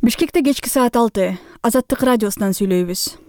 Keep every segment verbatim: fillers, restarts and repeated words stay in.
Бишкекте кечки саат алты. Азаттык радиосунан сүйлөйбүз.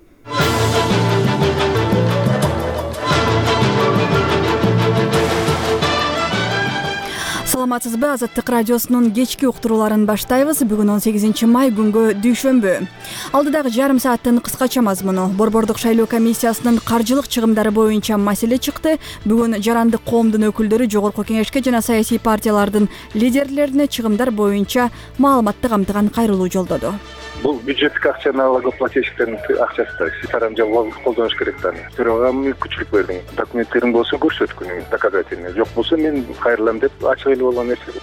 Саламатсызбы? Азаттык радиосунун кечки уктурууларын баштайбыз. Бүгүн он сегизинчи май күнгө дүйшөмбү. Алдыдагы жарым сааттын кыскача мазмуну. Борбордук шайлоо комиссиясынын каржылык чыгымдары боюнча маселе чыкты. Бүгүн жарандык коомдун өкүлдөрү жогорку кеңешке жана саясий партиялардын лидерлерине чыгымдар боюнча маалыматты камтыган кайрылуу жолдоду. Бул бюджеттик акча налогоплательщиктердин акчасы да тарамжалуулук колдонуш керек да. Төрага мүмкүнчүлүк бердим. Документтериң болсо көрсөткүнүң доказательный. Жок болсо мен кайрылам деп ачык эле болгон нерсе.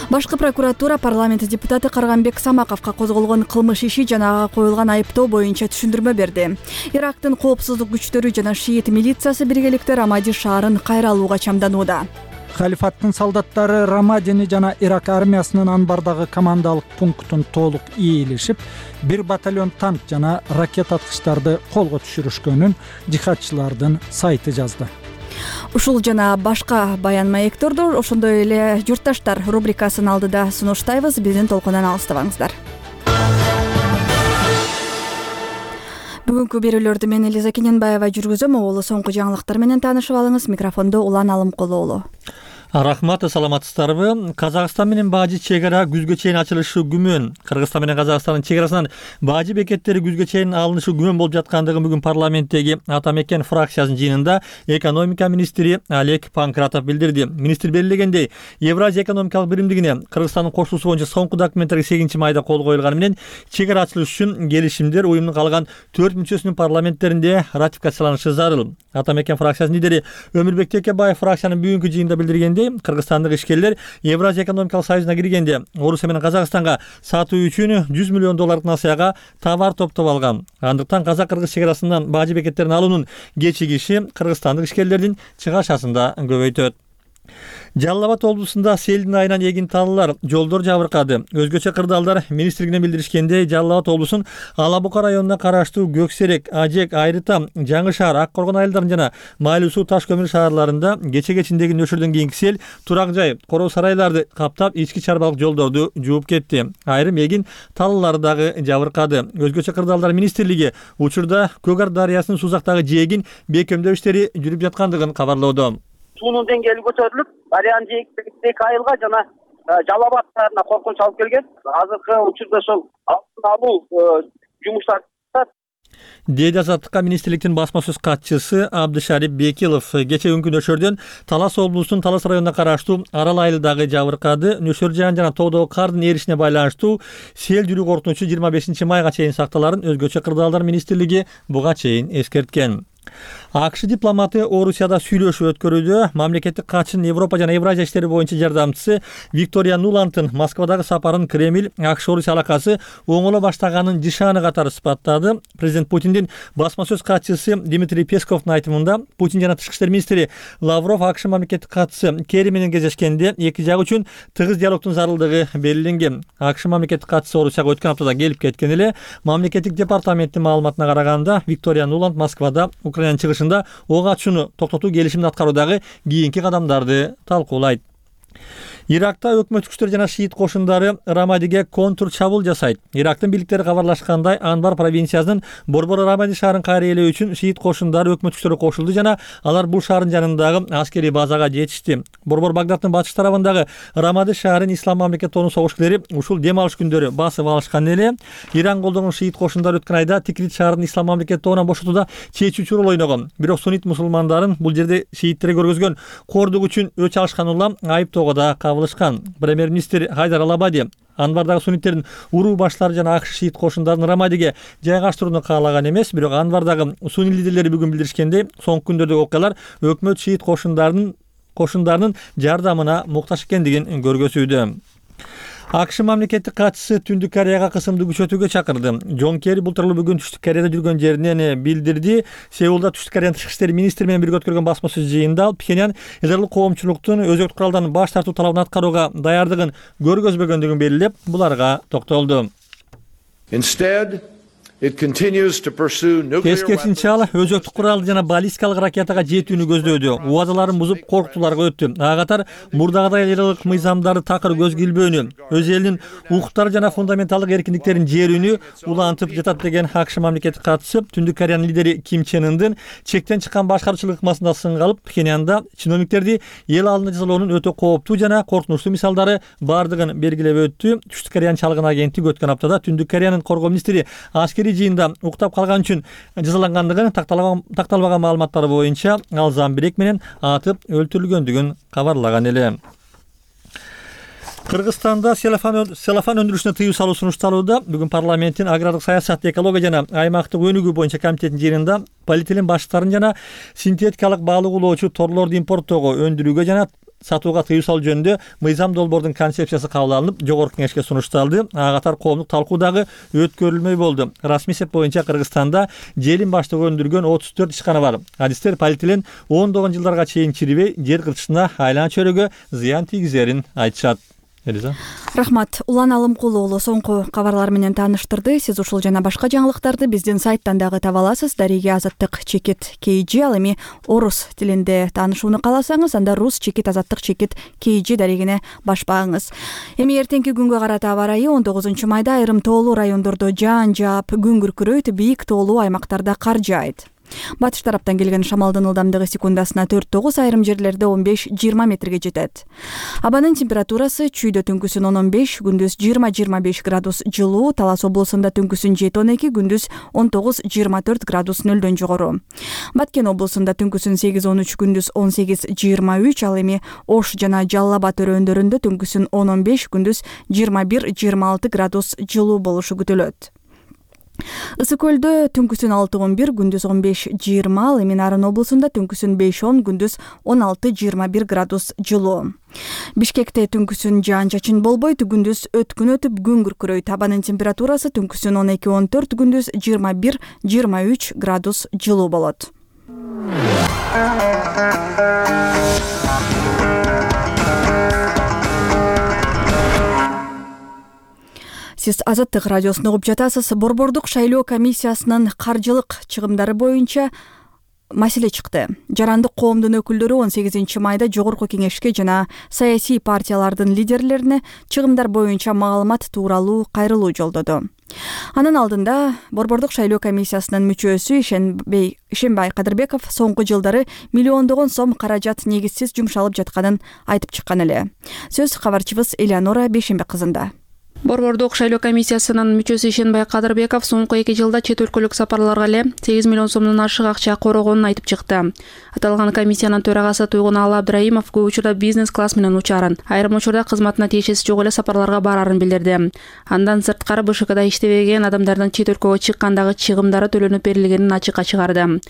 Башкы прокуратура парламент депутаты Карганбек Самаковго козголгон кылмыш иши жана ага коюлган айыптоо боюнча түшүндүрмө берди. Ирактын коопсуздук күчтөрү жана шиит милициясы биргеликте Рамади шаарын кайра алууга чамданууда. Халифаттын солдаттары Рамадини жана Ирак армиясынын анбардагы командалык пунктун толук ээлешип, бир батальон танк жана ракета аткычтарды колго түшүрүшкөнүн жихадчылардын сайты жазды. Ушул жана башка баян маекторду ошондой эле журтташтар рубрикасын алдыда сунуштайбыз. Биздин толкундан алыстабаңыздар. Бүгүнкү берүүлөрдү мен Элиза Кененбаева жүргүзөм. Оолу соңку жаңылыктар менен таанышып алыңыз. Микрофондо Улан Алымкулуулу. Рахмат, саламатсыздарбы? Казакстан менен Бажы чек ара күзгө чейин ачылышы күмөн. Кыргызстан менен Казакстандын чек арасынан Бажы бекеттери күзгө чейин алынышы күмөн болуп жаткандыгы бүгүн парламенттеги Атамекен фракциясынын жыйынында экономика министри Олег Панкратов билдирди. Министр белгилегендей, Евразия экономикалык биримдигине Кыргызстандын кошулуусу боюнча соңку документтерге сегизинчи майда кол коюлганы менен чек ара ачылышы үчүн келишимдер уюмдун калган төрт мүчөсүнүн парламенттеринде ратификацияланышы зарыл. Атамекен фракциясынын лидери Өмүрбек Текебаев фракциянын бүгүнкү жыйынында билдиргендей, кыргызстандык ишкерлер Евразия экономикалык союзуна киргенде Орусия менен Казакстанга сатуу үчүн жүз миллион доллардык насыяга товар топтоп алган. Андыктан казак-кыргыз чек арасынан Бажы бекеттерин алуунун кечигиши кыргызстандык ишкерлердин чыгашасын да көбөйтөт. Жалал Абад облусунда селдин айынан эгин талылар, жолдор жабыркады. Өзгөчө кырдаалдар министрлигине билдиришкендей, Жалал Абад облусунун Ала Бука районуна караштуу Көксерек, Ажек, Айрытам, Жаңы шаар, Ак Коргон айылдарынын жана Майлуу суу Таш көмүр шаарларында кече кечиндеги нөшөрдөн кийинки сел турак жай, короо сарайларды каптап, ички чарбалык жолдорду жууп кетти. Айрым эгин талылары дагы жабыркады. Өзгөчө кырдаалдар министрлиги учурда Көгар дарыясынын сузактагы жээгин бекемдөө иштери жүрүп жаткандыгын кабарлоодо. Суунун деңгээли көтөрүлүп, дарыянын жээктеги айылга жана Жалал Абад шаарына коркунуч алып келген. Азыркы учурда ошол алдын алуу жумуштары Деди Азаттыкка министрликтин басма сөз катчысы Абдышарип Бекилов кече күнгү нөшөрдөн Талас облусунун Талас районуна караштуу Арал айылдагы жабыркады. Нөшөр жаан жана тоодогу кардын эришине байланыштуу сел жүрүү коркунучу жыйырма бешинчи майга чейин сакталарын өзгөчө кырдаалдар министрлиги буга чейин эскерткен. АКШ дипломаты Орусияда сүйлөшүү өткөрүүдө. Мамлекеттик катчынын Европа жана Евразия иштери боюнча жардамчысы Виктория Нуландтын Москвадагы сапарын Кремль АКШ-Орусия алакасы оңоло баштаганын жышааны катары сыпаттады. Президент Путиндин басма сөз катчысы Дмитрий Песковдун айтымында, Путин жана тышкы иштер министри Лавров АКШ мамлекеттик катчысы Керри менен кездешкенде эки жак үчүн тыгыз диалогдун зарылдыгы белгиленген. АКШ мамлекеттик катчысы Орусияга өткөн аптада келип кеткен эле. Мамлекеттик департаменттин маалыматына караганда, Виктория Нуланд Москвада Украинанын чыгышында ок ачууну токтотуу келишимин аткаруудагы кийинки кадамдарды талкуулайт. Иракта өкмөт күчтөр жана шиит кошундары Рамадиге контур чабуул жасайт. Ирактын бийликтери кабарлашкандай, Анбар провинциясынын Борбор Рамади шаарын кайра ээлөө үчүн шиит кошундары өкмөт күчтөрү кошулду жана алар бул шаардын жанындагы аскерий базага жетишти. Борбор Багдадтын батыш тарабындагы Рамади шаарын Ислам мамлекет тобунун согушкерлери ушул дем алыш күндөрү басып алышкан эле. Иран колдонгон шиит кошундары өткөн айда Тикрит шаарын Ислам мамлекет тобунан бошотууда чечүүчү роль ойногон. Бирок суннит мусулмандарын бул жерде шииттерге көргөзгөн кордук үчүн өч алышкан улам айыптоого да кабылышкан. Премьер-министр Хайдар Алабади Анбардагы сунниттердин уруу баштары жана АКШ шиит кошундарын Рамадиге жайгаштырууну каалаган эмес, бирок Анбардагы сунни лидерлери бүгүн билдиришкендей, соңку күндөрдөгү окуялар өкмөт шиит кошундарынын кошундарынын жардамына муктаж экендигин көргөзүүдө. АКШ мамлекеттик катчысы Түндүк Кореяга кысымды күчөтүүгө чакырды. Джон Керри бул тууралуу бүгүн Түштүк Кореяда жүргөн жеринен билдирди. Сеулда Түштүк Кореянын тышкы иштер министри менен бирге өткөргөн басма сөз жыйынында Пхеньян ядролук коомчулуктун өзөктүк куралдан баш тартуу талабын аткарууга даярдыгын көргөзбөгөндүгүн белгилеп, буларга токтолду. Instead, Тескерисинче ал өзөктүк куралды жана баллистикалык ракетага жетүүнү көздөөдү. Убадаларын бузуп коркутууларга өттү. Ага катар мурдагыдай лиралык мыйзамдарды такыр көз килбөөнү, өз элинин укуктары жана фундаменталдык эркиндиктерин жерүүнү улантып жатат деген АКШ мамлекеттик катчысы Түндүк Кореянын лидери Ким Чен Ындын чектен чыккан башкаруучулук ыкмасында сынга алып, Пхеньянда чиновниктерди эл алдында жазалоонун өтө кооптуу жана коркунучтуу мисалдары бардыгын белгилеп өттү. Түштүк Кореянын чалгын агенттиги өткөн аптада Түндүк Кореянын коргоо министри аскерий жыйында уктап калган үчүн жазалангандыгын такталбаган маалыматтар боюнча ал замбирек менен атып өлтүрүлгөндүгүн кабарлаган эле. Кыргызстанда селофан селофан өндүрүшүнө тыюу салуу сунушталууда. Бүгүн парламенттин агрардык саясат, экология жана аймактык өнүгүү боюнча комитетинин жыйынында полиэтилен башчыларын жана синтетикалык баалык улоочу торлорду импорттоого, өндүрүүгө жана сатууга тыюу салуу жөнүндө мыйзам долбоордун концепциясы кабыл алынып, жогорку кеңешке сунушталды. Ага катар коомдук талкуу дагы өткөрүлмөй болду. Расмий эсеп боюнча Кыргызстанда желим баштыгы өндүргөн отуз төрт ишкана бар. Адистер полиэтилен ондогон жылдарга чейин чирибей, жер кыртышына, айлана чөйрөгө зыян тийгизерин айтышат. Элиза. Рахмат. Улан Алымкулуу уулу соңку кабарлар менен тааныштырды. Сиз ушул жана башка жаңылыктарды биздин сайттан дагы таба аласыз. Дареге азаттык чекит кей жи, ал эми орус тилинде таанышууну кааласаңыз, анда рус чекит азаттык чекит кей жи дарегине башпаңыз. Эми эртеңки күнгө карата аба ырайы он тогузунчу майда айрым тоолуу райондордо жаан жаап, күн күркүрөйт, бийик тоолуу аймактарда кар жаайт. Батыш тараптан келген шамалдын ылдамдыгы секундасына төрт тогуз, айрым жерлерде он беш жыйырма метрге жетет. Абанын температурасы чүйдө түнкүсүн он он беш, күндүз жыйырма жыйырма беш градус жылуу, Талас облусунда түнкүсүн жети он эки, күндүз он тогуз жыйырма төрт градус нөлдөн жогору. Баткен облусунда түнкүсүн сегиз он үч, күндүз он сегиз жыйырма үч, ал эми Ош жана Жалал Абад өрөөндөрүндө түнкүсүн он он беш, күндүз жыйырма бир жыйырма алты градус жылуу болушу күтүлөт. Ысык көлдө түнкүсүн алты он бир, күндүз он беш жыйырма, ал эми Нарын облусунда түнкүсүн беш он, күндүз он алты жыйырма бир градус жылуу. Бишкекте түнкүсүн жаан чачын болбойт, күндүз өткүн өтүп күн күркүрөйт. Абанын температурасы түнкүсүн он эки он төрт, күндүз жыйырма бир жыйырма үч градус жылуу болот. Сиз Азаттык радиосун угуп жатасыз. Борбордук шайлоо комиссиясынын каржылык чыгымдары боюнча маселе чыкты. Жарандык коомдун өкүлдөрү он сегизинчи майда жогорку кеңешке жана саясий партиялардын лидерлерине чыгымдар боюнча маалымат тууралуу кайрылуу жолдоду. Анын алдында Борбордук шайлоо комиссиясынын мүчөсү Ишенбей Ишенбай Кадырбеков соңку жылдары миллиондогон сом каражат негизсиз жумшалып жатканын айтып чыккан эле. Сөз кабарчыбыз Элеонора Бейшембек кызында. Борбордук шайлоо комиссиясынын мүчөсү Ишенбай Кадырбеков соңку эки жылда чет өлкөлүк сапарларга эле сегиз миллион сомдон ашык акча корогонун айтып чыкты. Аталган комиссиянын төрагасы Туйгуналы Абдрайымов көп учурда бизнес класс менен учарын, айрым учурда кызматына тиешеси жок эле сапарларга барарын билдирди. Андан сырткары БШКда иштебеген адамдардын чет өлкөгө чыккандагы чыгымдары төлөнүп берилгенин ачыкка чыгарды.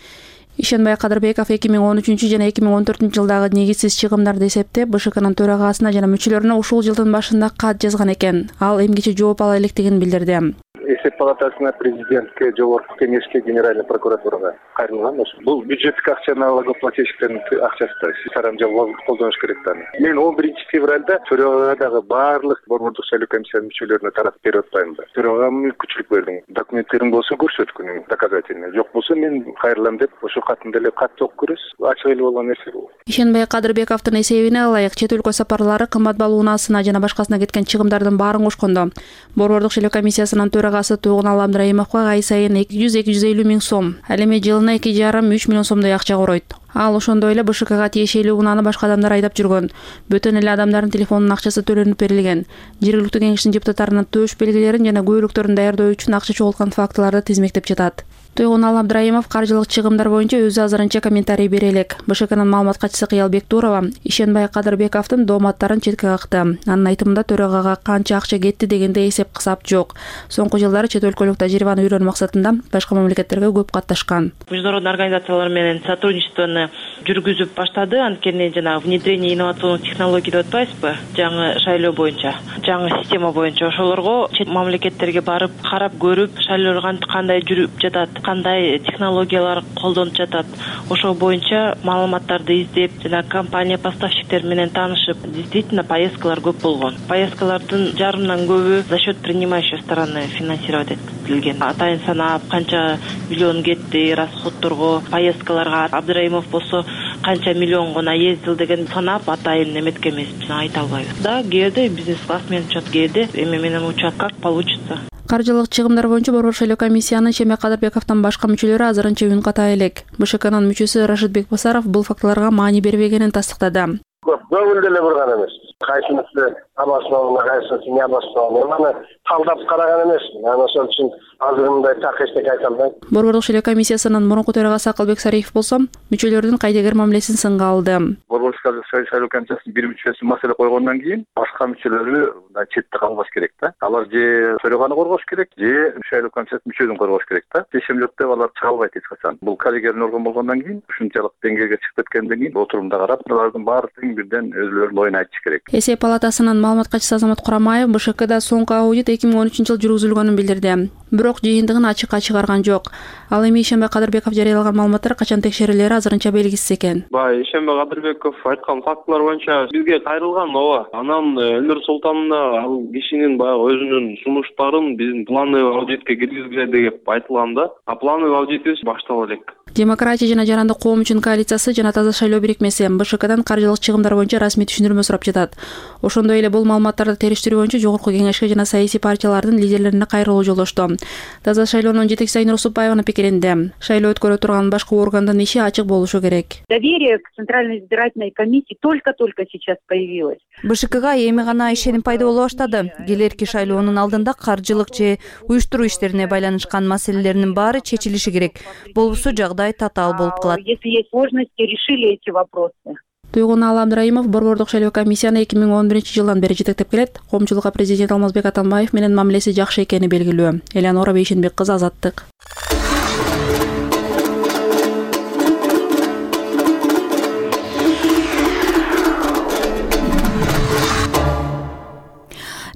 Ишенбай Кадырбеков эки миң он үчүнчү жана эки миң он төртүнчү жылдагы негизсиз чыгымдарды эсептеп, БШКнын төрагасына жана мүчөлөрүнө ушул жылдын башында кат жазган экен. Ал эмгиче жооп ала электигин билдирди. Эсеп палатасына, президентке, жогорку кеңешке, генеральный прокуратурага кайрылган. Бул бюджеттик акча налогоплательщиктердин акчасы да. Сарамжа колдонуш керек да. Мен он биринчи февралда төрагадагы баардык борбордук шайлоо комиссиянын мүчөлөрүнө таратып берип атпаймын да. Төрагам мүмкүнчүлүк бердим. Документтериң болсо көрсөткүн, доказательный. Жок болсо мен кайрылам деп ошо катында эле кат окуп көрөсүз. Ачык эле болгон нерсе бул. Ишенбай Кадырбековдун эсебине ылайык чет өлкө сапарлары, кымбат балл унаасына жана башкасына кеткен чыгымдардын баарын кошкондо Борбордук шайлоо комиссиясынын төрагасы Туйгуналы Абдрайымовго ай сайын эки жүз эки жүз элүү миң сом, ал эми жылына эки жарым үч миллион сомдой акча коройт. Ал ошондой эле БШКга тиешелүү унааны башка адамдар айдап жүргөн. Бөтөн эле адамдардын телефонунун акчасы төлөнүп берилген. Жергиликтүү кеңештин депутаттарынын төш белгилерин жана күбөлүктөрүн даярдоо үчүн акча чогулткан фактыларды тизмектеп жатат. Туйгуналы Абдрайымов каржылык чыгымдар боюнча өзү азырынча комментарий бере элек. БШКнын маалымат катчысы Кыял Бектурова Ишенбай Кадырбековдун дооматтарын четке какты. Анын айтымында төрагага канча акча кетти дегенде эсеп кысап жок. Соңку жылдары чет өлкөлүк тажрыйбаны үйрөнүү максатында башка мамлекеттерге көп катташкан. Международный организациялар менен сотрудничествону жүргүзүп баштады. Анткени жана внедрение инновационных технологий деп атпайсызбы? Жаңы шайлоо боюнча, жаңы система боюнча ошолорго чет мамлекеттерге барып, карап көрүп, шайлоо кандай жүрүп жатат, кандай технологиялар колдонуп жатат, ошол боюнча маалыматтарды издеп, жана компания поставщиктер менен таанышып, действительно поездкалар көп болгон. Поездкалардын жарымынан көбү за счет принимающей стороны финансировать этилген. Атайын санап, канча миллион кетти расходторго, поездкаларга. Абдыраимов болсо канча миллион гана ездил деген санап атайын эметкен эмеспиз, айта албайбыз. Да, кээде бизнес-класс менен учат, кээде эме менен учат, как получится. Каржылык чыгымдар боюнча Борбор шайлоо комиссиянын Шемек Кадырбековдон башка мүчөлөрү азырынча үн ката элек. БШКнын мүчөсү Рашидбек Басаров бул фактыларга маани бербегенин тастыктады. Көңүл деле бурган эмес. Кайсынысы обоснованно, кайсынысы не обоснованно. Аны талдап караган эмесмин. Анан ошол үчүн азыр мындай так эчтеке айта албайм. Борбордук шайлоо комиссиясынын мурунку төрагасы Акылбек Сариев болсо мүчөлөрдүн кайдыгер мамилесин сынга алды. Борбордук шайлоо комиссиясынын бир мүчөсү маселе койгондон кийин башка мүчөлөрү четте калбаш керек да. Алар же төраганы коргош керек, же шайлоо комиссиясынын мүчөсүн коргош керек да. Чечим жок деп алар чыга албайт эч качан. Бул коллегиялык орган болгондон кийин ушунчалык деңгээлге чыгып кеткенден кийин отурумда карап, алардын баардыгын бирден өзүлөрүнүн оюн айтыш керек. Эсеп палатасынын маалымат катчысы Азамат Курамаев БШКда соңку аудит эки миң он үчүнчү жылы жүргүзүлгөнүн билдирди. Бирок жыйынтыгын ачыкка чыгарган жок. Ал эми Шембек Кадырбеков жарыялаган маалыматтар качан текшерилери азырынча белгисиз экен. Бай Шембек Кадырбеков айткан фактылар боюнча бизге кайрылган ооба. Анан Элнур Султановна ал кишинин баягы өзүнүн сунуштарын биздин плановый аудитке киргизгиле деп айтылган да. А плановый аудитибиз баштала элек. Демократия жана жарандык коом үчүн коалициясы жана Таза шайлоо бирикмеси БШКдан каржылык чыгымдар боюнча расмий түшүндүрмө сурап жатат. Ошондой эле бул маалыматтарды териштирүү боюнча Жогорку кеңешке жана саясий партиялардын лидерлерине кайрылуу жолдошту. Таза шайлоонун жетекчиси Айнур Усупбаеванын пикиринде, шайлоо өткөрө турган башкы органдын иши ачык болушу керек. Доверие к Центральной избирательной комиссии только-только сейчас появилось. БШКга эми гана ишеним пайда боло баштады. Келерки шайлоонун алдында каржылык же уюштуруу иштерине байланышкан маселелердин баары чечилиши керек. Болбосо жагдай татаал болуп калат. Если есть возможности, решили эти вопросы. Туйгуналы Абдыраимов Борбордук шайлоо комиссияны эки миң он биринчи жылдан бери жетектеп келет. Коомчулукка президент Алмазбек Атамбаев менен мамилеси жакшы экени белгилүү. Элеонора Бейшенбек кызы, Азаттык.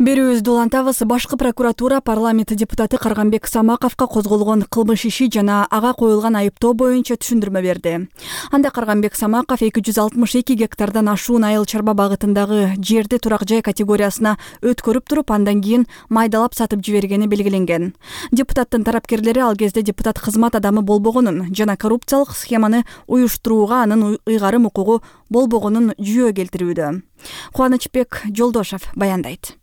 Берүүбүздү улантабыз. Башкы прокуратура парламент депутаты Карганбек Самаковго козголгон кылмыш иши жана ага коюлган айыптоо боюнча түшүндүрмө берди. Анда Карганбек Самаков эки жүз алтымыш эки гектардан ашуун айыл чарба багытындагы жерди турак жай категориясына өткөрүп туруп, андан кийин майдалап сатып жибергени белгиленген. Депутаттын тарапкерлери ал кезде депутат кызмат адамы болбогонун жана коррупциялык схеманы уюштурууга анын ыйгарым укугу болбогонун жүйө келтирүүдө. Кубанычбек Жолдошов баяндайт.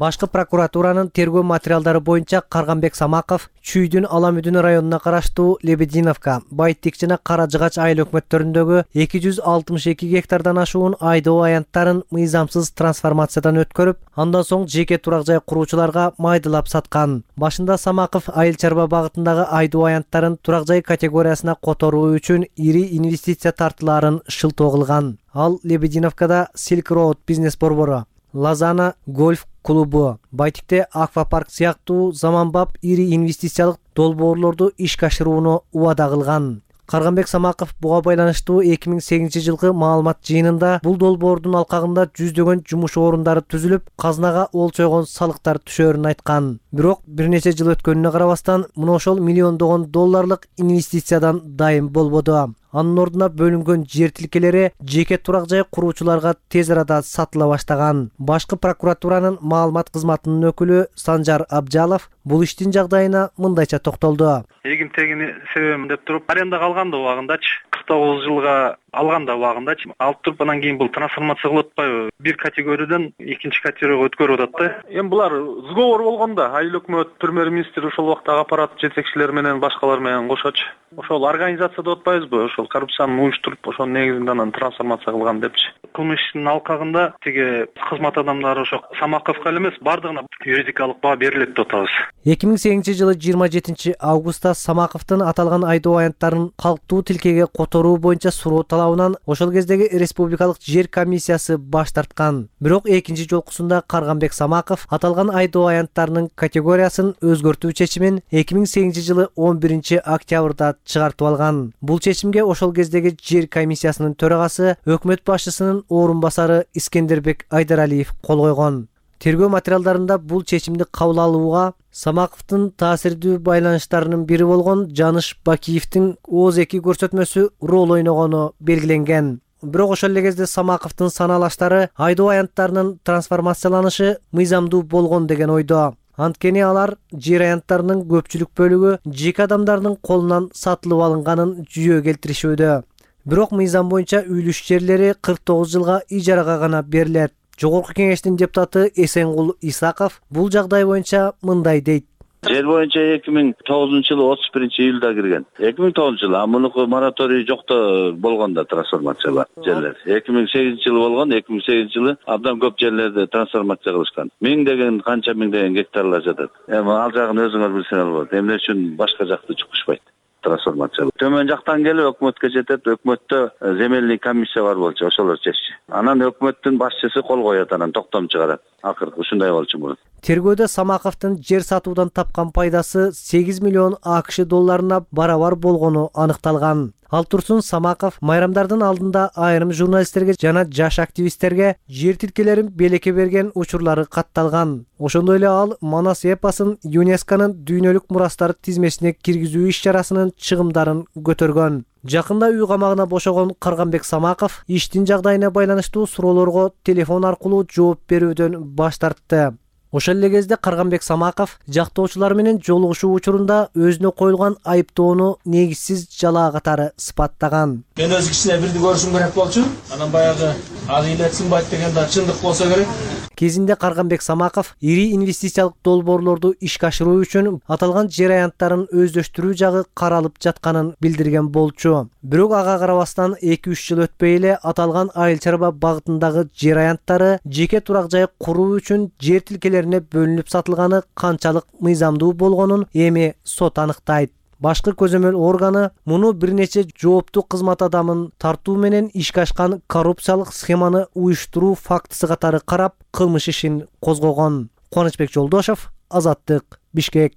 Башкы прокуратуранын тергөө материалдары боюнча Карганбек Самаков Чүйдүн Аламүдүн районуна караштуу Лебединовка, Байтик жана Кара Жыгач айыл өкмөттөрүндөгү эки жүз алтымыш эки гектардан ашуун айдоо аянттарын мыйзамсыз трансформациядан өткөрүп, андан соң жеке турак жай куруучуларга майдалап саткан. Башында Самаков айыл чарба багытындагы айдоо аянттарын турак жай категориясына которуу үчүн ири инвестиция тартылаарын шылтоо кылган. Ал Лебединовкада Silk Road бизнес борбору, Лазана гольф клубу, Байтикте аквапарк сыяктуу заманбап ири инвестициялык долбоорлорду ишке ашырууну убада кылган. Карганбек Самаков буга байланыштуу эки миң сегизинчи жылкы маалымат жыйынында бул долбоордун алкагында жүздөгөн жумуш орундары түзүлүп, казынага олчойгон салыктар түшөөрүн айткан. Бирок бир нече жыл өткөнүнө карабастан мына ошол миллиондогон долларлык инвестициядан дайым болбоду. Анын ордуна бөлүнгөн жер тилкелери жеке турак жай куруучуларга тез арада сатыла баштаган. Башкы прокуратуранын маалымат кызматынын өкүлү Санжар Абжалов бул иштин жагдайына мындайча токтолду. Эгин тегини себебим деп туруп, арендага алганда убагындачы, кырк тогуз жылга алганда убагындачы алып туруп, анан кийин бул трансформация кылып атпайбы? Бир категориядан экинчи категорияга өткөрүп атат да. Эми булар сговор болгон да, айыл өкмөт, премьер-министр ошол убакта аппарат жетекчилери менен башкалар менен кошочу. Ошол организация деп атпайбызбы? Ошол коррупцияны уюштуруп, ошонун негизинде анан трансформация кылган депчи. Кылмыштын алкагында тиги кызмат адамдары ошо Самаковго эле эмес, бардыгына юридикалык баа берилет деп атабыз. эки миң сегизинчи жылы жыйырма жетинчи августта Самаковдун аталган айдоо аянттарын калктуу тилкеге которуу боюнча суроо талабынан ошол кездеги республикалык жер комиссиясы баш тарткан. Бирок экинчи жолкусунда Карганбек Самаков аталган айдоо аянттарынын категориясын өзгөртүү чечимин эки миң сегизинчи жылы он биринчи октябрда чыгартып алган. Бул чечимге ошол кездеги жер комиссиясынын төрагасы, өкмөт башчысынын орун басары Искендербек Айдаралиев кол койгон. Тергөө материалдарында бул чечимди кабыл алууга Самаковдун таасирдүү байланыштарынын бири болгон Жаныш Бакиевдин ооз эки көрсөтмөсү рол ойногону белгиленген. Бирок ошол эле кезде Самаковдун санаалаштары айдоо аянттарынын трансформацияланышы мыйзамдуу болгон деген ойдо. Анткени алар жер аянттарынын көпчүлүк бөлүгү жеке адамдардын колунан сатылып алынганын жүйө келтиришүүдө. Бирок мыйзам боюнча үйлүш жерлери кырк тогуз жылга ижарага гана берилет. Жогорку кеңештин депутаты Эсенгул Исаков бул жагдай боюнча мындай дейт. Жер боюнча эки миң тогузунчу жылы отуз биринчи июлда кирген. эки миң тогузунчу жылы, а мунуку мораторий жокто болгон да трансформациялар жерлер. эки миң сегизинчи жылы болгон, эки миң сегизинчи жылы абдан көп жерлерди трансформация кылышкан. Миңдеген, канча миңдеген гектарлар жатат. Эми ал жагын өзүңөр билсеңер болот. Эмне үчүн башка жакты чукушпайт? Трансформация. Төмөн жактан келип өкмөткө жетет. Өкмөттө земельный комиссия бар болчу, ошолор чечти. Анан өкмөттүн башчысы кол коет, анан токтом чыгарат. Акыркы ушундай болчу мурун. Тергөөдө Самаковдун жер сатуудан тапкан пайдасы сегиз миллион АКШ долларына барабар болгону аныкталган. Ал турсун Самаков майрамдардын алдында айрым журналисттерге жана жаш активисттерге жер тилкелерин белекке берген учурлары катталган. Ошондой эле ал Манас эпосун ЮНЕСКОнун дүйнөлүк мурастар тизмесине киргизүү иш-чарасынын чыгымдарын көтөргөн. Жакында үй камагына бошогон Карганбек Самаков иштин жагдайына байланыштуу суроолорго телефон аркылуу жооп берүүдөн баш тартты. Ошол эле кезде Карганбек Самаков жактоочулар менен жолугушуу учурунда өзүнө коюлган айыптоону негизсиз жалаа катары сыпаттаган. Мен өз кишине бирди көрүшүм керек болчу. Анан баягы ак илетсин байт деген да чындык болсо керек. Кезинде Карганбек Самаков ири инвестициялык долбоорлорду ишке ашыруу үчүн аталган жер аянттарын өздөштүрүү жагы каралып жатканын билдирген болчу. Бирок ага карабастан эки үч жыл өтпөй эле аталган айыл чарба багытындагы жер аянттары жеке турак жай куруу үчүн жер тилкелерине бөлүнүп сатылганы канчалык мыйзамдуу болгонун эми сот аныктайт. Башкы көзөмөл органы муну бир нече жооптуу кызмат адамын тартуу менен ишке ашкан коррупциялык схеманы уюштуруу фактысы катары карап, кылмыш ишин козгогон. Кубанычбек Жолдошов, Азаттык, Бишкек.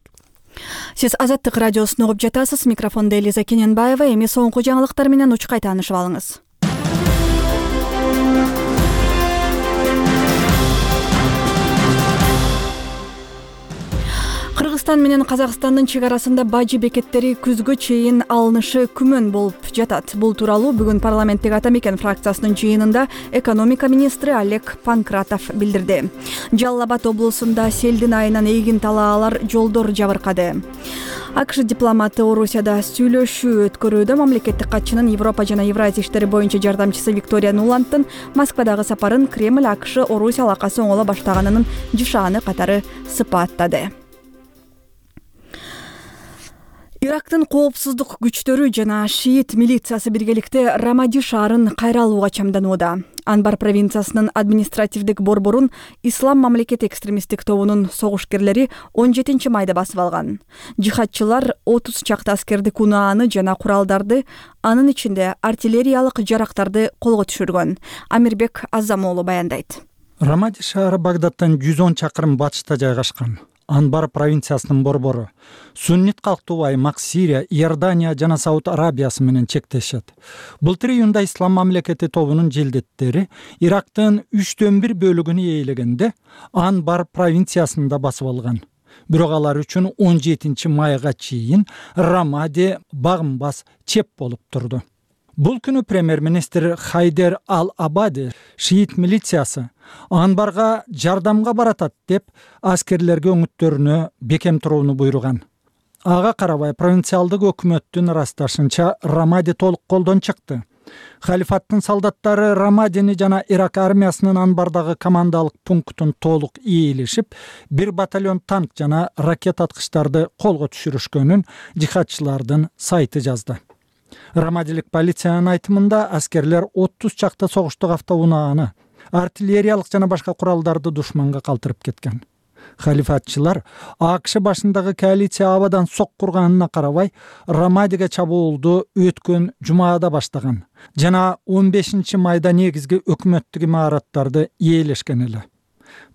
Сиз Азаттык радиосун угуп жатасыз. Микрофондо Элиза Кененбаева. Эми соңку жаңылыктар менен учкай таанышып алыңыз. Кыргызстан менен Казакстандын чек арасында бажы бекеттери күзгө чейин алынышы күмөн болуп жатат. Бул тууралуу бүгүн парламенттеги Ата Мекен фракциясынын жыйынында экономика министри Олег Панкратов билдирди. Жалал Абад облусунда селдин айынан эгин талаалар жолдор жабыркады. АКШ дипломаты Орусияда сүйлөшүү өткөрүүдө мамлекеттик катчынын Европа жана Евразия иштери боюнча жардамчысы Виктория Нуландтын Москвадагы сапарын Кремль АКШ Орусия алакасы оңоло баштаганынын жышааны катары сыпаттады. Ирактын коопсуздук күчтөрү жана шиит милициясы биргеликте Рамади шаарын кайра алууга чамданууда. Анбар провинциясынын административдик борборун Ислам мамлекети экстремисттик тобунун согушкерлери он жетинчи майда басып алган. Жихадчылар отуз чакты аскердик унааны жана куралдарды, анын ичинде артиллериялык жарактарды колго түшүргөн. Амирбек Азамоолу баяндайт. Рамади шаары Багдадтан жүз он чакырым батышта жайгашкан. Анбар провинциясынын борбору. Суннит калктуу аймак Сирия, Иордания жана Сауд Арабиясы менен чектешет. Былтыр июнда Ислам мамлекети тобунун желдеттери Ирактын үчтөн бир бөлүгүн ээлегенде Анбар провинциясында басып алган. Бирок алар үчүн он жетинчи майга чейин Рамади багымбас чеп болуп турду. Бул күнү премьер-министр Хайдер Ал-Абади шиит милициясы Анбарга жардамга баратат деп аскерлерге өңүттөрүнө бекем турууну буйруган. Ага карабай провинциалдык өкмөттүн ырасташынча Рамади толук колдон чыкты. Халифаттын солдаттары Рамадини жана Ирак армиясынын Анбардагы командалык пунктун толук ээлешип, бир батальон танк жана ракета аткычтарды колго түшүрүшкөнүн жихадчылардын сайты жазды. Рамадилик полициянын айтымында аскерлер отуз чакты согуштук автоунааны, артиллериялык жана башка куралдарды душманга калтырып кеткен. Халифатчылар АКШ башындагы коалиция абадан сок курганына карабай Рамадиге чабуулду өткөн жумаада баштаган жана он бешинчи майда негизги өкмөттүк имараттарды ээлешкен эле.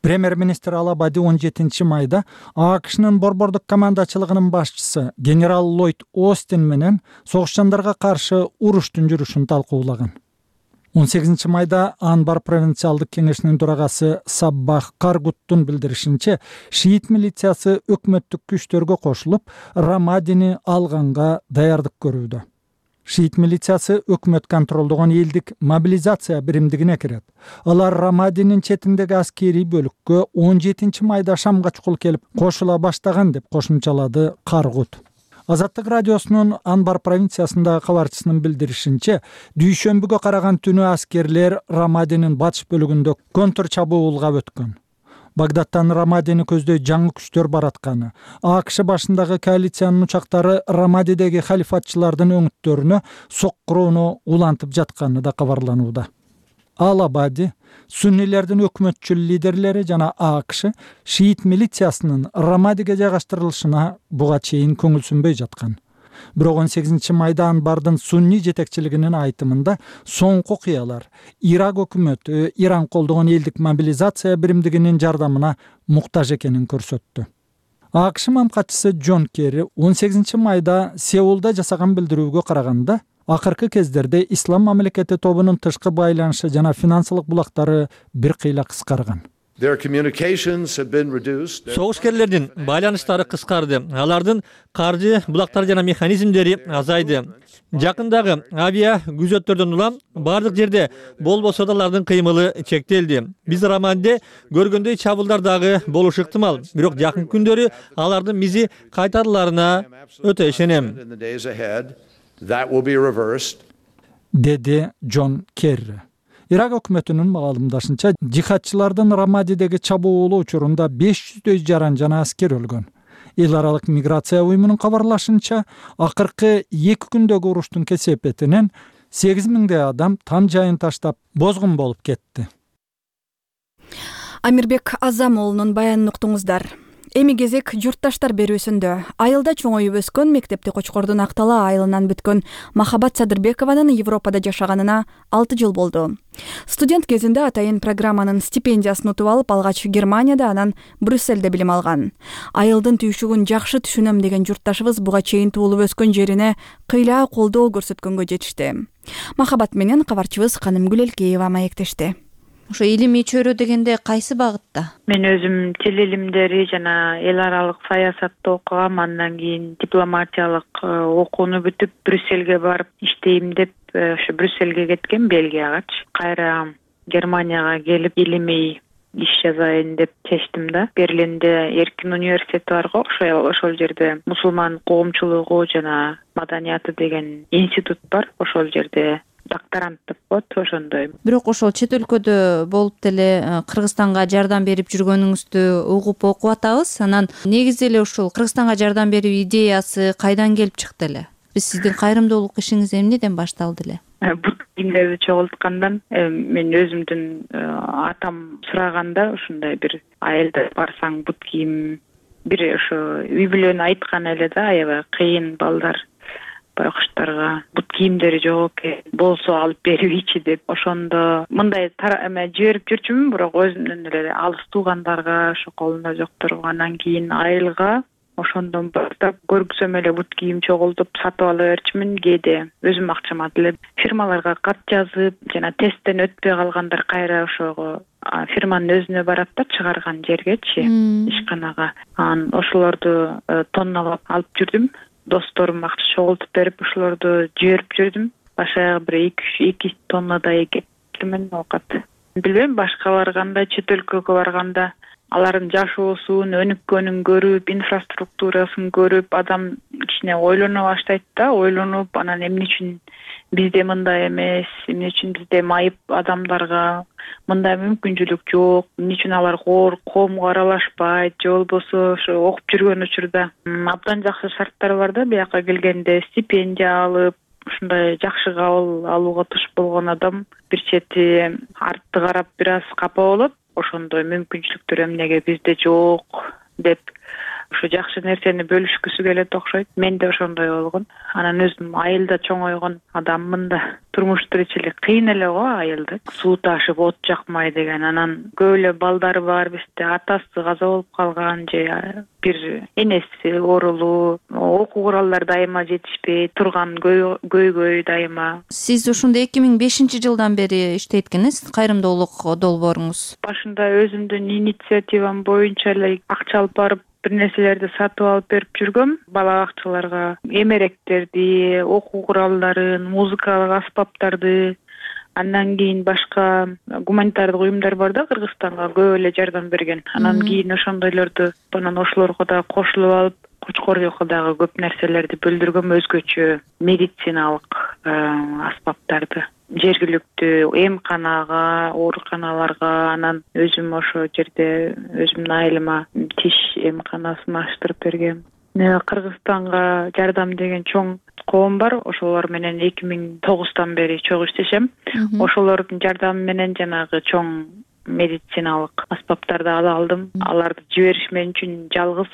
Премьер-министр Ал-Абади он жетинчи майда АКШнын борбордук командачылыгынын башчысы генерал Ллойд Остин менен согушчандарга каршы уруштун жүрүшүн талкуулаган. он сегизинчи майда Анбар провинциалдык кеңешинин төрагасы Саббах Каргуттун билдиришинче, шиит милициясы өкмөттүк күчтөргө кошулуп, Рамадини алганга даярдык көрүүдө. Шиит милициясы өкмөт контролдогон элдик мобилизация биримдигине кирет. Алар Рамадинин четиндеги аскерий бөлүккө он жетинчи майда Шамга чукул келип кошула баштаган деп кошумчалады Каргут. Азаттык радиосунун Анбар провинциясындагы кабарчысынын билдиришинче, дүйшөмбүгө караган түнү аскерлер Рамадинин батыш бөлүгүндө контр чабуулга өткөн. Багдадтан Рамадини көздөй жаңы күчтөр баратканы, АКШ башындагы коалициянын учактары Рамадидеги халифатчылардын өңүттөрүнө соккурууну улантып жатканы да кабарланууда. Ал-Абади, суннилердин өкмөтчүл лидерлери жана АКШ шиит милициясынын Рамадиге жайгаштырылышына буга чейин көңүл сүнбөй жаткан. Бирок он сегизинчи майда Анбардын сунни жетекчилигинин айтымында соңку окуялар Ирак өкмөтү Иран колдогон элдик мобилизация биримдигинин жардамына муктаж экенин көрсөттү. АКШ мамкатчысы Джон Керри он сегизинчи майда Сеулда жасаган билдирүүгө караганда, акыркы кездерде Ислам мамлекети тобунун тышкы байланышы жана финансылык булактары бир кыйла кыскарган. Согушкерлердин байланыштары кыскарды. Алардын каржы булактары жана механизмдери азайды. Жакындагы авиа күзөттөрдөн улам бардык жерде болбосо да алардын кыймылы чектелди. Биз Рамадиде көргөндөй чабуулдар дагы болушу ыктымал. Бирок жакын күндөрү алардын мизи кайтарыларына өтө ишенем. Деди Джон Керри. Ирак өкмөтүнүн маалымдашынча, жихадчылардын Рамадидеги чабуулу учурунда беш жүздөй жаран жана аскер өлгөн. Эл аралык миграция уюмунун кабарлашынча, акыркы эки күндөгү уруштун кесепетинен сегиз миңдей адам там жайын таштап бозгун болуп кетти. Амирбек Азам уулунун баянын уктуңуздар. Эми кезек журтташтар берүүсүндө. Айылда чоңоюп өскөн, мектепти Кочкордун Актала айылынан бүткөн Махабат Садырбекованын Европада жашаганына алты жыл болду. Студент кезинде атайын программанын стипендиясын утуп алып, алгач Германияда, анан Брюссельде билим алган. Айылдын түйшүгүн жакшы түшүнөм деген журтташыбыз буга чейин туулуп өскөн жерине кыйла колдоо көрсөткөнгө жетишти. Махабат менен кабарчыбыз Каным Гүлелкеева маектешти. Ошо илимий чөйрө дегенде кайсы багытта? Мен өзүм тил илимдери жана эл аралык саясатты окугам, андан кийин дипломатиялык окууну бүтүп Брюссельге барып иштейм деп ошо Брюссельге кеткем, Бельгиягачы. Кайра Германияга келип илимий иш жазайын деп чечтим да. Берлинде Эркин университети бар го, ошол ошол жерде мусулман коомчулугу жана маданияты деген институт бар. Ошол жерде докторант деп коет, ошондой. Бирок ошол чет өлкөдө болуп деле Кыргызстанга жардам берип жүргөнүңүздү угуп окуп атабыз. Анан негизи эле ушул Кыргызстанга жардам берүү идеясы кайдан келип чыкты эле? Биз сиздин кайрымдуулук ишиңиз эмнеден башталды эле? Бут кийимдерди чогулткандан мен өзүмдүн атам сураганда, ушундай бир айылда барсаң бут кийим, бир ошо үй бүлөнү айткан эле да, аябай кыйын балдар байкуштарга бут кийимдери жок экен, болсо алып берибичи деп. Ошондо мындай эме жиберип жүрчүмүн, бирок өзүмдөн эле алыс туугандарга, ошо колунда жокторго. Андан кийин айылга ошондон баштап көргүсөм эле бут кийим чогултуп сатып ала берчүмүн. Кээде өзүм акчама деле фирмаларга кат жазып, жана тесттен өтпөй калгандар кайра ошого фирманын өзүнө барат да, чыгарган жергечи, ишканага. Анан ошолорду тонналап алып жүрдүм. Досторум акча чогултуп берип, ошолорду жиберип жүрдүм. Башка бир эки тоннадай кеттимин оокат. Билбейм, башкалар кандай, чет өлкөгө барганда алардын жашоосун, өнүккөнүн көрүп, инфраструктурасын көрүп, адам кичине ойлоно баштайт да, ойлонуп, анан эмне үчүн бизде мындай эмес, эмне үчүн бизде майып адамдарга мындай мүмкүнчүлүк жок, эмне үчүн алар коомго аралашпайт, же болбосо ошо окуп жүргөн учурда абдан жакшы шарттар бар да, бияка келгенде стипендия алып, ушундай жакшы кабыл алууга туш болгон адам бир чети артты карап бир аз капа болот. Ошондой мүмкүнчүлүктөр эмнеге бизде жок деп ушу жакшы нерсени бөлүшкүсү келет окшойт. Мен да ошондой болгон. Анан өзүм айылда чоңойгон адаммын да. Турмуш тиричилик кыйын эле го айылда. Суу ташып, от жакмай деген. Анан көп эле балдары бар бизде. Атасы каза болуп калган же бир энеси оорулуу, окуу куралдары дайыма жетишпей турган, көйгөй дайыма. Сиз ушунда эки миң бешинчи жылдан бери иштейт экенсиз, кайрымдуулук долбооруңуз. Башында өзүмдүн инициативам боюнча эле акча алып барып бир нерселерди сатып алып берип жүргөм. Бала бакчаларга эмеректерди, окуу куралдарын, музыкалык аспаптарды, андан кийин башка гуманитардык уюмдар бар да Кыргызстанга көп эле жардам берген. Анан кийин ошондойлорду анан ошолорго да кошулуп алып, Кочкордуга дагы көп нерселерди бөлдүргөм, өзгөчө медициналык аспаптарды. Жергиликтүү эмканага, ооруканаларга, анан өзүм ошо жерде өзүмдүн айылыма тиш эмканасын аштырып бергем. Кыргызстанга жардам деген чоң коом бар. Ошолор менен эки миң тогуздан бери чогуу иштешем. Ошолордун жардамы менен жанагы чоң медициналык аспаптарды ала алдым. Аларды жибериш мен үчүн жалгыз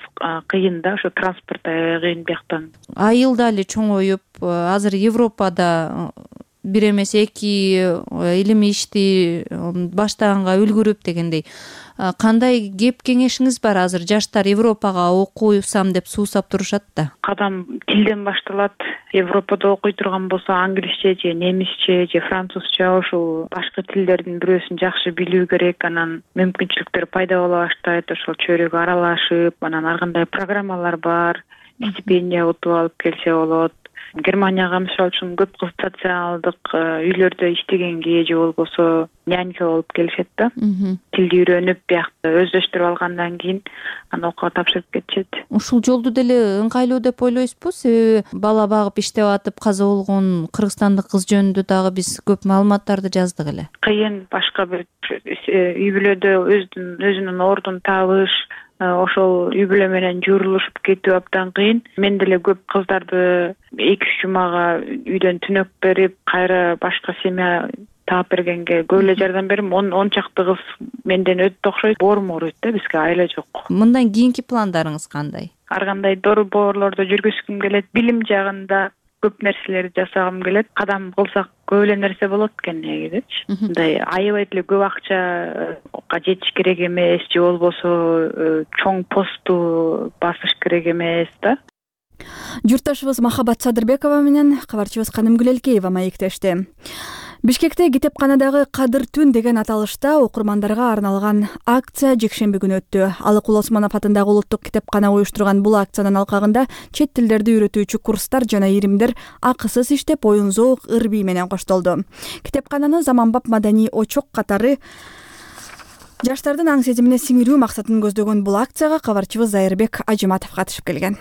кыйын да, ошо транспорт аябай кыйын бияктан. Айылда эле чоңоюп, азыр Европада бир эмес эки илимий ишти баштаганга үлгүрүп дегендей. Кандай кеп кеңешиңиз бар? Азыр жаштар Европага окуйсам деп суусап турушат да. Кадам тилден башталат. Европада окуй турган болсо англисче же немисче же французча, ошол башка тилдердин бирөөсүн жакшы билүү керек. Анан мүмкүнчүлүктөр пайда боло баштайт. Ошол чөйрөгө аралашып, анан ар кандай программалар бар. Стипендия утуп алып келсе болот. Германияга мисалы үчүн көп кыз социалдык үйлөрдө иштегенге же болбосо нянька болуп келишет да. Тилди үйрөнүп, биякта өздөштүрүп алгандан кийин анан окууга тапшырып кетишет. Ушул жолду деле ыңгайлуу деп ойлойсузбу? Себеби бала багып иштеп атып каза болгон кыргызстандык кыз жөнүндө дагы биз көп маалыматтарды жаздык эле. Кыйын башка бир үй бүлөдө өзүнүн өзүнүн ордун табыш, ошол үй бүлө менен журулушуп кетүү абдан кыйын. Мен деле көп кыздарды эки үч жумага үйдөн түнөк берип, кайра башка семья таап бергенге көп эле жардам берим. он чакты кыз менден өтүп окшойт. Боорум ооруйт да, бизге айла жок. Мындан кийинки пландарыңыз кандай? Ар кандай борборлордо жүргүзгүм келет. Билим жагында көп нерселерди жасагым келет. Кадам кылсак көп эле нерсе болот экен негизичи. Мындай аябай эле көп акчага жетиш керек эмес, же болбосо чоң посту басыш керек эмес да. Журтташыбыз Махабат Садырбекова менен кабарчыбыз Канымгүл Элкеева маектешти. Бишкекте китепканадагы Кадыр түн деген аталышта окурмандарга арналган акция жекшемби күнү өттү. Алыкул Осмонов атындагы улуттук китепкана уюштурган бул акциянын алкагында чет тилдерди үйрөтүүчү курстар жана иримдер акысыз иштеп, оюн зоок, ыр-бий менен коштолду. Китепкананы заманбап маданий очок катары жаштардын аң сезимине сиңирүү максатын көздөгөн бул акцияга кабарчыбыз Зайырбек Ажыматов катышып келген.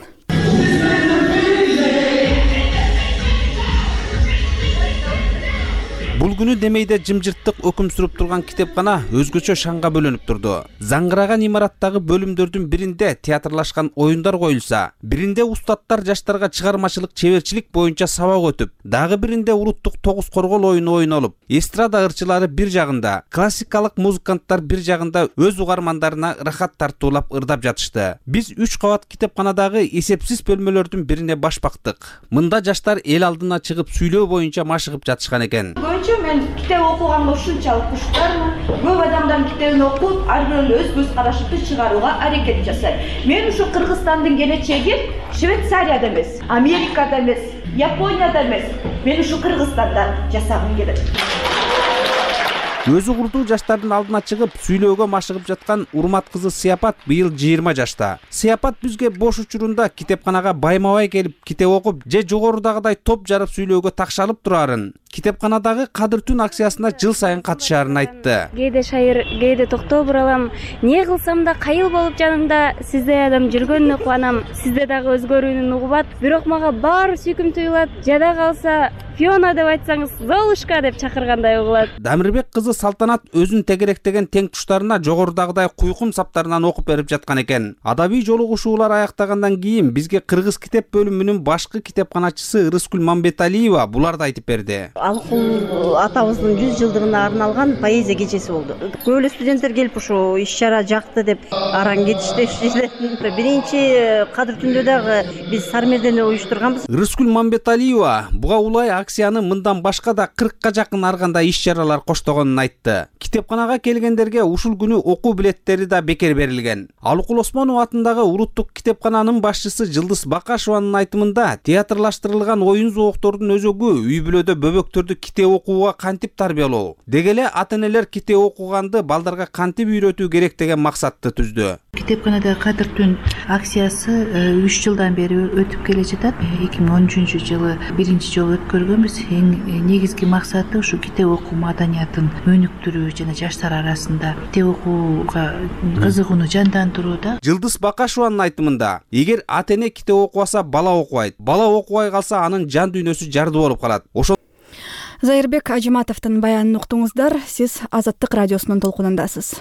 Бул күнү Демейде жымжырттык өкүм сүрүп турган китепкана өзгөчө шанга бөлөнүп турду. Заңгыраган имараттагы бөлүмдөрдүн биринде театрлашкан оюндар коюлса, биринде устаттар жаштарга чыгармачылык чеберчилик боюнча сабак өтүп, дагы биринде улуттук тогуз коргол оюну ойнолуп, эстрада ырчылары бир жагында, классикалык музыканттар бир жагында өз угармандарына ырахат тартуулап ырдап жатышты. Биз үч кабат китепканадагы эсепсиз бөлмөлөрдүн бирине баш бактык. Мында жаштар эл алдына чыгып сүйлөө боюнча машыгып жатышкан экен. Мен китеп окуганга ушунчалык куштармын. Көп адамдардын китебин окуп, ар бирөө өз көз карашымды чыгарууга аракет жасайм. Мен ушу Кыргызстандын келечеги Швейцарияда эмес, Америкада эмес, Японияда эмес. Мен ушу Кыргызстанда жасагым келет. Өзү курдуу жаштардын алдына чыгып сүйлөөгө машыгып жаткан Урмат кызы Сыяпат быйыл жыйырма жашта. Сыяпат бизге бош учурунда китепканага байма-бай келип китеп окуп, же жогорудагыдай топ жарып сүйлөөгө такшалып турарын, китепканадагы Кадыр түн акциясына жыл сайын катышаарын айтты. Кээде шайыр, кээде токтоп уралам. Не кылсам да кайыл болуп жанымда сиздей адам жүргөнүнө кубанам. Сизде дагы өзгөрүүнүн угубат. Бирок мага баары сүйкүм туюлат. Жада калса Фиона деп айтсаңыз, Золушка деп чакыргандай угулат. Дамирбек кызы Салтанат өзүн тегеректеген тең туштарына жогорудагыдай куйкум саптарынан окуп берип жаткан экен. Адабий жолугушуулар аяктагандан кийин бизге Кыргыз китеп бөлүмүнүн башкы китепканачысы Ырыскүл Мамбеталиева буларды айтып берди. Алыкул атабыздын жүз жылдыгына арналган поэзия кечеси болду. Көп эле студенттер келип ушул иш чара жакты деп араң кетиштешти. Биринчи кадыр түндө дагы биз Сармердени уюштурганбыз. Рыскүл Мамбеталиева буга улай акцияны мындан башка да кыркка жакын ар кандай иш чаралар коштогонун айтты. Китепканага келгендерге ушул күнү окуу билеттери да бекер берилген. Алыкул Осмонов атындагы улуттук китепкананын башчысы Жылдыз Бакашеванын айтымында театрлаштырылган оюн зооктордун өзөгү үй бүлөдө бөбөктөрдү китеп окууга кантип тарбиялоо, деги эле ата-энелер китеп окуганды балдарга кантип үйрөтүү керек деген максатты түздү. Китепканада кадыр түн акциясы үч жылдан бери өтүп келе жатат. эки миң он үчүнчү жылы биринчи жолу өткөргөнбүз. Эң негизги максаты ушу китеп окуу маданиятын өнүктүрүү жана жаштар арасында китеп окууга кызыгууну жандандырууда. Жылдыз Бакашеванын айтымында, эгер ата-эне китеп окубаса, бала окубайт. Бала окубай калса, анын жан дүйнөсү жарды болуп калат. Ошо Зайырбек Ажиматовдун баянын уктуңуздар. Сиз Азаттык радиосунун толкунундасыз.